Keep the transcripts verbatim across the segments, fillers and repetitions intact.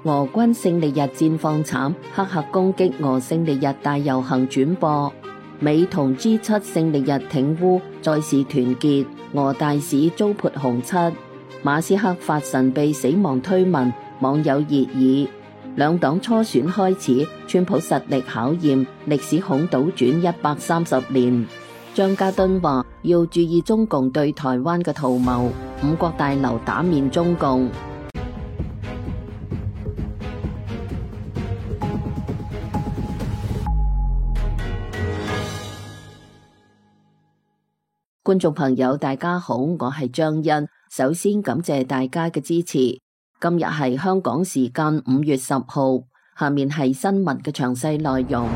俄軍勝利日戰況慘，黑客攻擊俄勝利日大遊行轉播。美同 G 七 勝利日挺烏，再示團結。俄大使遭潑紅漆。馬斯克發神秘死亡推文，網友熱議。兩黨初選開始，川普實力考驗，歷史恐倒轉一百三十年。張家敦話要注意中共對台灣嘅圖謀，五角大樓打面中共。觀眾朋友大家好，我係張欣，首先感謝大家嘅支持。今日係香港時間五月十號，下面係新聞嘅詳細內容。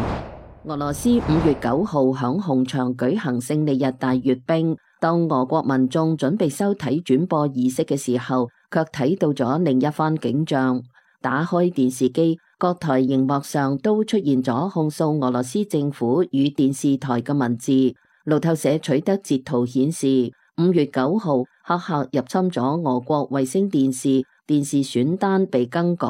俄羅斯五月九號響紅場舉行勝利日大閱兵，當俄國民眾準備收睇轉播儀式嘅時候，卻睇到咗另一番景象。打開電視機，各台熒幕上都出現咗控訴俄羅斯政府與電視台嘅文字。路透社取得截圖顯示，五月九號黑客入侵咗俄國衛星電視，電視選單被更改，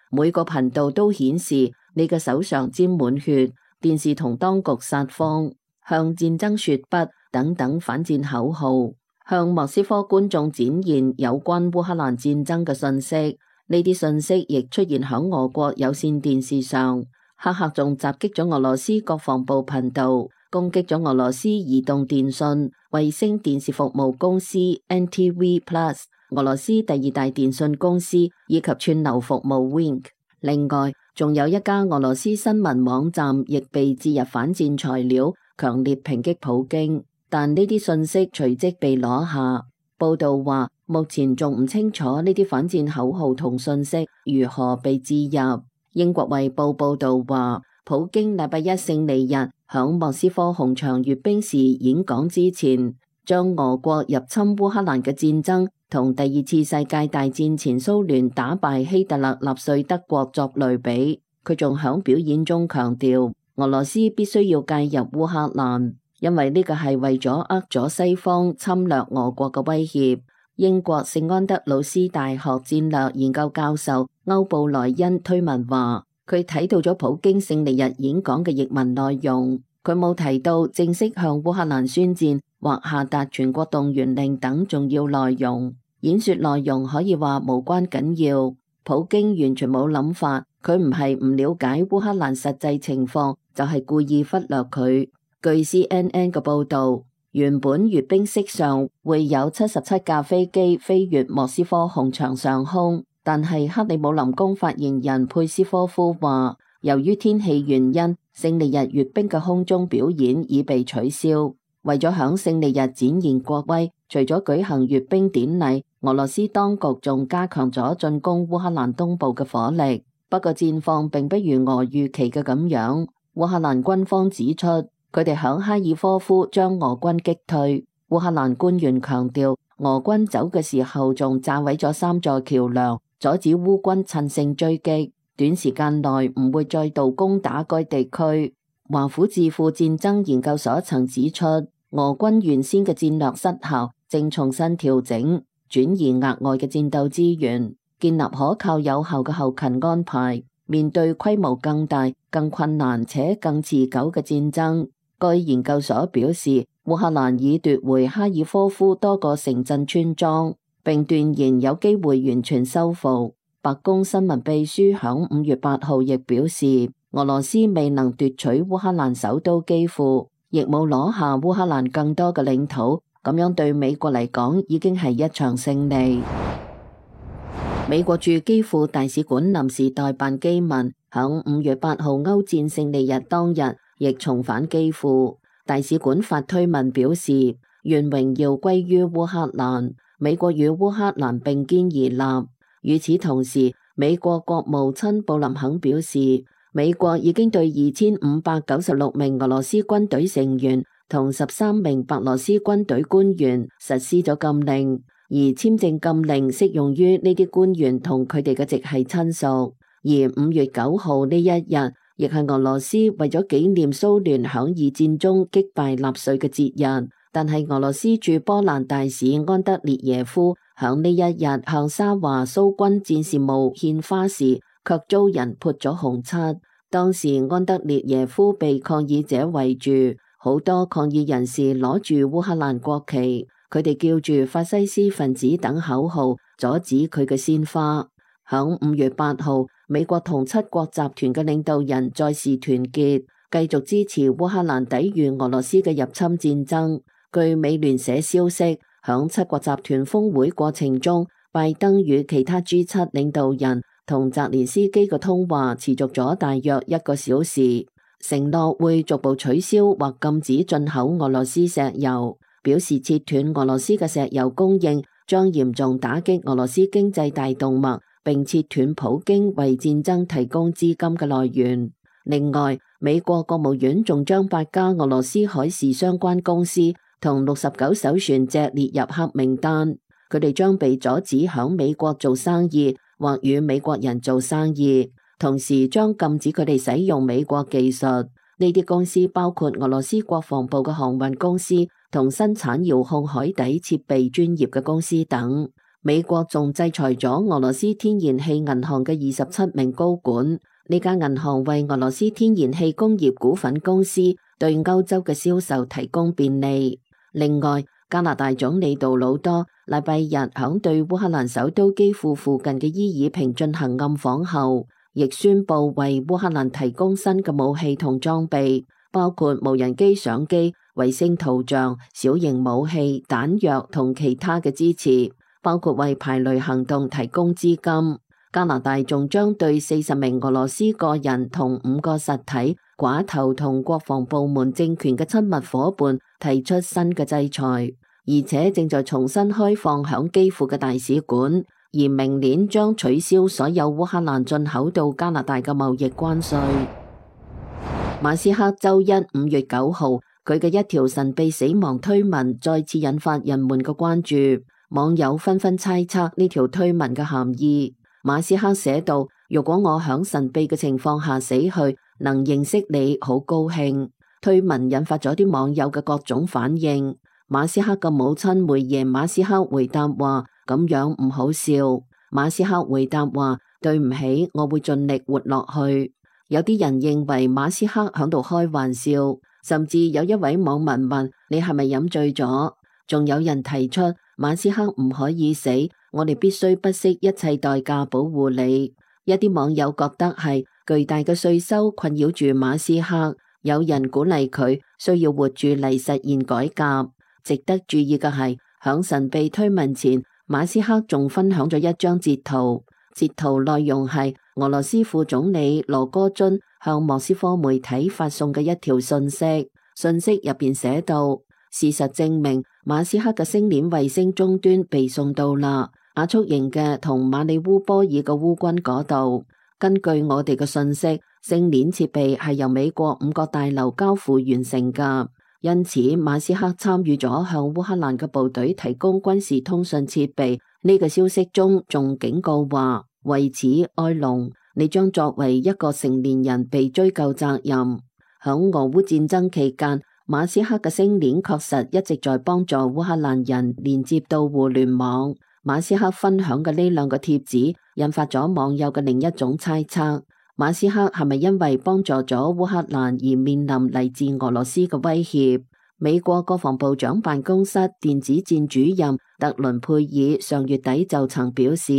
每個頻道都顯示你嘅手上沾滿血，電視同當局撒謊，向戰爭說不等等反戰口號，向莫斯科觀眾展現有關烏克蘭戰爭嘅信息。呢啲信息亦出現響俄國有線電視上。黑客仲襲擊咗俄羅斯國防部頻道，攻擊咗俄羅斯移動電信、衛星電視服務公司 N T V Plus、俄羅斯第二大電信公司以及串流服務 Wink。另外，仲有一家俄羅斯新聞網站亦被置入反戰材料，強烈抨擊普京。但呢啲信息隨即被攞下。報道話，目前仲唔清楚呢啲反戰口號同信息如何被置入。英國衛報報道話，普京禮拜一勝利日響莫斯科紅場閱兵時演講之前，將俄國入侵烏克蘭嘅戰爭同第二次世界大戰前蘇聯打敗希特勒納粹德國作類比。佢仲響表演中強調，俄羅斯必須要介入烏克蘭，因為呢個係為咗扼咗西方侵略俄國嘅威脅。英國聖安德魯斯大學戰略研究教授歐布萊恩推文話，佢睇到咗普京勝利日演講嘅譯文內容，佢冇提到正式向烏克蘭宣戰或下達全國動員令等重要內容。演說內容可以話無關緊要，普京完全冇諗法，佢唔係唔了解烏克蘭實際情況，就係故意忽略佢。據 C N N 嘅報道，原本閱兵式上會有七十七架飛機飛越莫斯科紅場上空，但係克里姆林宮發言人佩斯科夫話，由於天氣原因，勝利日閱兵嘅空中表演已被取消。為咗響勝利日展現國威，除咗舉行閱兵典禮，俄羅斯當局仲加強咗進攻烏克蘭東部嘅火力。不過戰況並不如俄預期嘅咁樣。烏克蘭軍方指出，佢哋響哈爾科夫將俄軍擊退。烏克蘭官員強調，俄軍走嘅時候仲炸毀咗三座橋梁，阻止烏軍趁勝追擊，短時間內唔會再度攻打該地區。華府智庫戰爭研究所曾指出，俄軍原先嘅戰略失效，正重新調整，轉移額外嘅戰鬥資源，建立可靠有效嘅後勤安排，面對規模更大、更困難且更持久嘅戰爭。該研究所表示，烏克蘭已奪回哈爾科夫多個城鎮村莊，並斷言有機會完全收復。白宮新聞秘書響五月八號亦表示，俄羅斯未能奪取烏克蘭首都基輔，亦冇攞下烏克蘭更多嘅領土，咁樣對美國嚟講已經係一場勝利。美國駐基輔大使館臨時代辦基民響五月八號歐戰勝利日當日亦重返基輔。大使館發推文表示，願榮耀歸於烏克蘭，美國與烏克蘭並肩而立。與此同時，美國國務卿布林肯表示，美國已經對二千五百九十六名俄羅斯軍隊成員同十三名白羅斯軍隊官員實施咗禁令，而簽證禁令適用於呢啲官員同佢哋嘅直系親屬。而五月九號呢一日，亦係俄羅斯為咗紀念蘇聯響二戰中擊敗納粹嘅節日，但係俄羅斯駐波蘭大使安德烈耶夫響呢一日向沙華蘇軍戰士墓獻花時，卻遭人潑咗紅漆。當時安德烈耶夫被抗議者圍住，好多抗議人士攞住烏克蘭國旗，佢哋叫住法西斯分子等口號，阻止佢嘅鮮花。響五月八號，美國同七國集團嘅領導人再次團結，繼續支持烏克蘭抵禦俄羅斯嘅入侵戰爭。據美聯社消息，響七國集團峰會過程中，拜登與其他 G 七領導人同澤連斯基嘅通話持續咗大約一個小時，承諾會逐步取消或禁止進口俄羅斯石油，表示切斷俄羅斯嘅石油供應將嚴重打擊俄羅斯經濟大動脈，並切斷普京為戰爭提供資金嘅來源。另外，美國國務院仲將八家俄羅斯海事相關公司同六十九艘船隻列入黑名單，佢哋將被阻止響美國做生意或與美國人做生意，同時將禁止佢哋使用美國技術。呢啲公司包括俄羅斯國防部嘅航運公司同生產遙控海底設備專業嘅公司等。美國仲制裁咗俄羅斯天然氣銀行嘅二十七名高管。呢間銀行為俄羅斯天然氣工業股份公司對歐洲嘅銷售提供便利。另外，加拿大總理杜魯多禮拜日響對烏克蘭首都基輔附近嘅伊爾平進行暗訪後，亦宣布為烏克蘭提供新嘅武器同裝備，包括無人機相機、衛星圖像、小型武器、彈藥同其他嘅支持，包括為排雷行動提供資金。加拿大仲將對四十名俄羅斯個人同五個實體、寡頭同國防部門政權嘅親密夥伴提出新嘅制裁，而且正在重新開放響基輔嘅大使館，而明年將取消所有烏克蘭進口到加拿大嘅貿易關稅。馬斯克周一五月九號，佢嘅一條神秘死亡推文再次引發人們嘅關注，網友紛紛猜測呢條推文嘅含義。馬斯克寫道：如果我響神秘嘅情況下死去，能認識你，好高興。推文引發咗啲網友嘅各種反應。馬斯克嘅母親梅耶馬斯克回答話：咁樣唔好笑。馬斯克回答話：對唔起，我會盡力活落去。有啲人認為馬斯克響度開玩笑，甚至有一位網民問：你係咪飲醉咗？仲有人提出馬斯克唔可以死，我哋必須不惜一切代價保護你。一啲網友覺得係巨大嘅稅收困擾住馬斯克，有人鼓勵佢需要活住嚟實現改革。值得注意嘅係，響神秘推文前，馬斯克仲分享咗一張截圖，截圖內容係俄羅斯副總理羅戈津向莫斯科媒體發送嘅一條信息，信息入邊寫道：事實證明馬斯克嘅星鏈衛星終端被送到啦，亞速營嘅同馬里烏波爾嘅烏軍嗰度。根據我哋嘅信息，星鏈設備係由美國五角大樓交付完成噶，因此馬斯克參與咗向烏克蘭嘅部隊提供軍事通訊設備。呢個消息中仲警告話：為此埃隆，你將作為一個成年人被追究責任。響俄烏戰爭期間，馬斯克嘅星鏈確實一直在幫助烏克蘭人連接到互聯網。馬斯克分享嘅呢兩個貼紙引發咗網友嘅另一種猜測：馬斯克係咪因為幫助咗烏克蘭而面臨嚟自俄羅斯嘅威脅？美國國防部長辦公室電子戰主任特倫佩爾上月底就曾表示，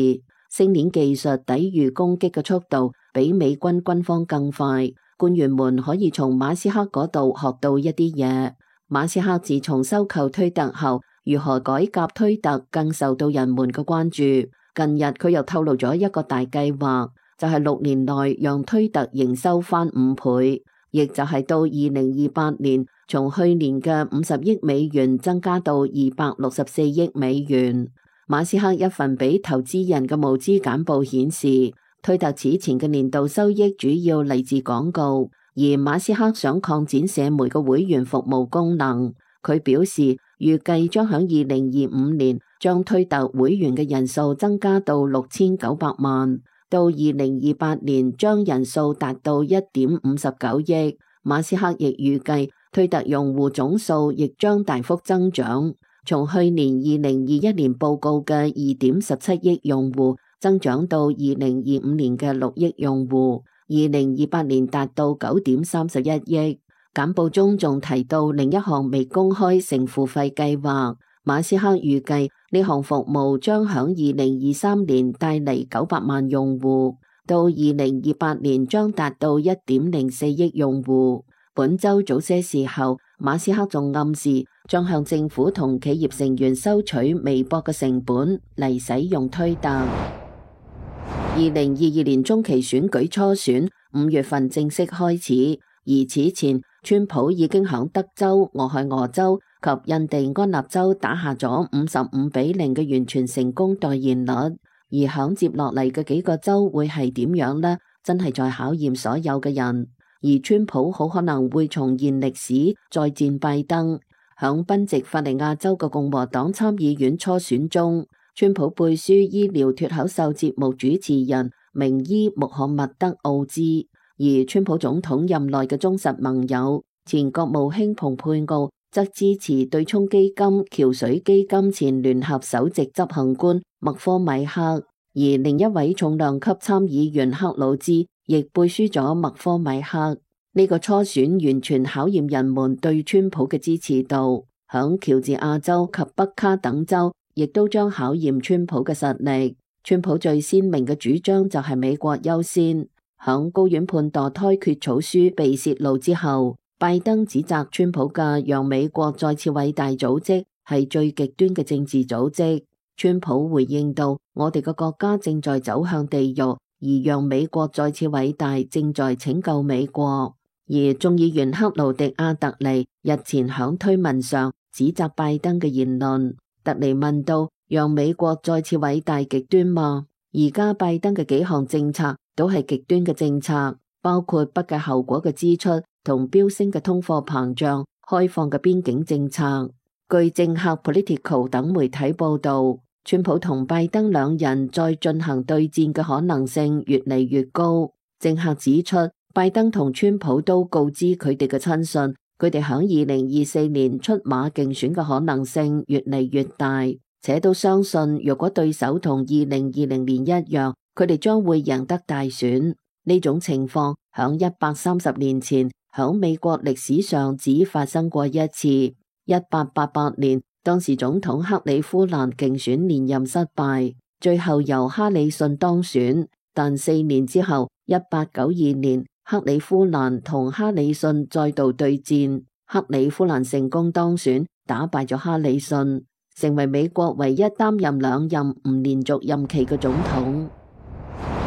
星鏈技術抵禦攻擊嘅速度比美軍軍方更快。官員們可以從馬斯克嗰度學到一啲嘢。馬斯克自從收購推特後，如何改革推特更受到人們嘅關注。近日佢又透露咗一個大計劃，就係六年內讓推特營收翻五倍，亦就係到二零二八年，從去年嘅五十億美元增加到二百六十四億美元。馬斯克一份俾投資人嘅募資簡報顯示，推特此前嘅年度收益主要嚟自廣告，而馬斯克想擴展社媒嘅會員服務功能。佢表示，預計將喺二零二五年將推特會員嘅人數增加到六千九百萬，到二零二八年將人數達到一點五十九億。馬斯克亦預計推特用戶總數亦將大幅增長，從去年二零二一年報告嘅二點十七億用戶增長到二零二五年嘅六億用戶，二零二八年達到九點三十一億。簡報中仲提到另一項未公開成付費計劃，馬斯克預計呢項服務將響二零二三年帶嚟九百萬用戶，到二零二八年將達到一點零四億用戶。本周早些時候，馬斯克仲暗示將向政府同企業成員收取微薄嘅成本嚟使用推特。二零二二年中期選舉初選五月份正式開始，而此前川普已經響德州、俄亥俄州及印第安納州打下咗五十五比零嘅完全成功代言率，而響接落嚟嘅幾個州會係點樣呢？真係在考驗所有嘅人。而川普好可能會重現歷史，再戰拜登。響賓夕法尼亞州嘅共和黨參議院初選中，川普背書醫療脫口秀節目主持人名醫穆罕默德奧茲，而川普總統任內嘅忠實盟友前國務卿蓬佩奧則支持對沖基金橋水基金前聯合首席執行官麥科米克，而另一位重量級參議員克魯茲亦背書咗麥科米克。呢個初選完全考驗人們對川普嘅支持度，響喬治亞州及北卡等州亦都將考驗川普嘅實力。川普最鮮明嘅主張就係美國優先。響高院判墮胎決草書被洩露之後，拜登指責川普嘅讓美國再次偉大組織係最極端嘅政治組織。川普回應道：我哋嘅國家正在走向地獄。而讓美國再次偉大正在拯救美國。而眾議員克勞迪亞特尼日前響推文上指責拜登嘅言論。特尼問道：讓美國再次偉大極端嗎？而家拜登嘅幾項政策都係極端嘅政策，包括不計後果嘅支出同飆升嘅通貨膨脹、開放嘅邊境政策。據政客 Politico 等媒體報道，川普同拜登兩人再進行對戰嘅可能性越嚟越高。政客指出，拜登同川普都告知佢哋嘅親信，佢哋響二零二四年出馬競選嘅可能性越嚟越大，且都相信若果對手同二零二零年一樣，佢哋將會贏得大選。呢種情況響一百三十年前響美國歷史上只發生過一次。一八八八年，當時總統克里夫蘭競選連任失敗，最後由哈里遜當選。但四年之後，一八九二年，克里夫蘭同哈里遜再度對戰，克里夫蘭成功當選，打敗咗哈里遜，成為美國唯一擔任兩任唔連續任期嘅總統。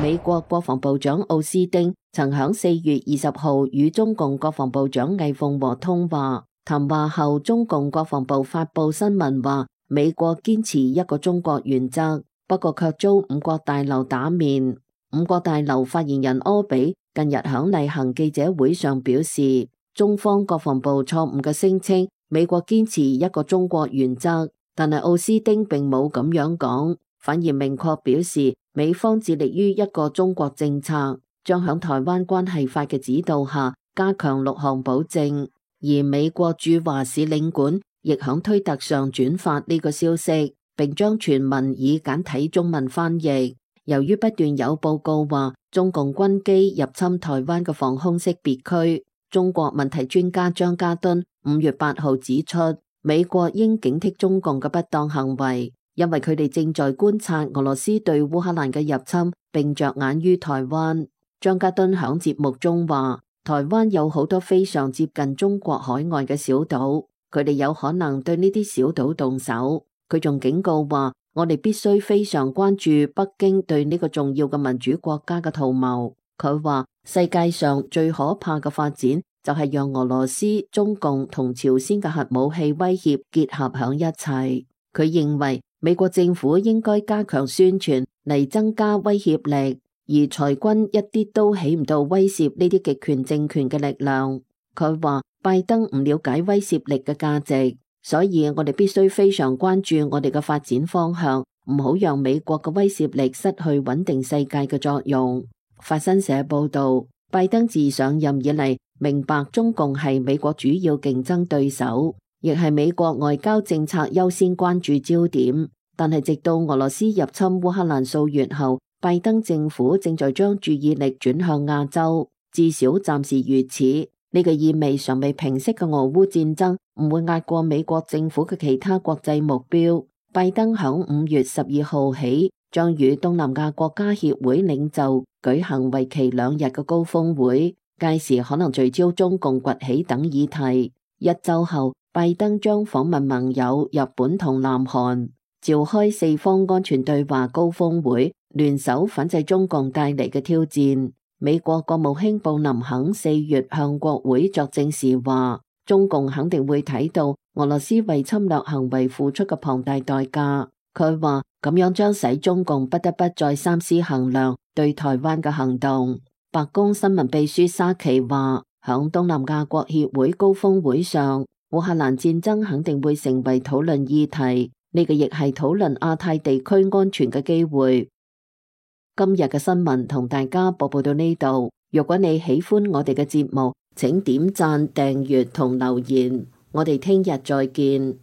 美國國防部長奧斯汀曾響四月二十號與中共國防部長魏鳳和通話。談話後，中共國防部發布新聞話，美國堅持一個中國原則，不過卻遭五角大樓打面。五角大樓發言人柯比近日響例行記者會上表示，中方國防部錯誤嘅聲稱美國堅持一個中國原則，但係奧斯汀並冇咁樣講，反而明確表示美方致力於一個中國政策，將響台灣關係法嘅指導下加強六項保證。而美國駐華使領館亦響推特上轉發呢個消息，並將全文以簡體中文翻譯。由於不斷有報告話中共軍機入侵台灣嘅防空識別區，中國問題專家張家敦五月八號指出，美國應警惕中共嘅不當行為，因為佢哋正在觀察俄羅斯對烏克蘭嘅入侵，並着眼於台灣。張家敦響節目中話，台灣有好多非常接近中國海岸嘅小島，佢哋有可能對呢啲小島動手。佢仲警告話，我哋必須非常關注北京對呢個重要嘅民主國家嘅圖謀。佢話，世界上最可怕嘅發展就係讓俄羅斯、中共同朝鮮嘅核武器威脅結合響一齊。佢認為美國政府應該加強宣傳嚟增加威脅力。而裁軍一啲都起唔到威懾呢啲極權政權嘅力量。佢話拜登唔了解威懾力嘅價值，所以我哋必須非常關注我哋嘅發展方向，唔好讓美國嘅威懾力失去穩定世界嘅作用。法新社報道，拜登自上任以嚟，明白中共係美國主要競爭對手，亦係美國外交政策優先關注焦點。但係直到俄羅斯入侵烏克蘭數月後，拜登政府正在將注意力轉向亞洲，至少暫時如此。呢個意味尚未平息嘅俄烏戰爭唔會壓過美國政府嘅其他國際目標。拜登響五月十二號起將與東南亞國家協會領袖舉行為期兩日嘅高峰會，屆時可能聚焦中共崛起等議題。一週後，拜登將訪問盟友日本同南韓，召開四方安全對話高峰會，聯手反制中共帶嚟嘅挑戰。美國國務卿布林肯四月向國會作證時話，中共肯定會睇到俄羅斯為侵略行為付出嘅龐大代價。佢話咁樣將使中共不得不再三思衡量對台灣嘅行動。白宮新聞秘書沙奇話，響東南亞國協會高峰會上，烏克蘭戰爭肯定會成為討論議題，呢個亦係討論亞太地區安全嘅機會。今日嘅新聞同大家播報到呢度，如果你喜歡我哋嘅節目，請點讚、訂閱同留言，我哋聽日再見。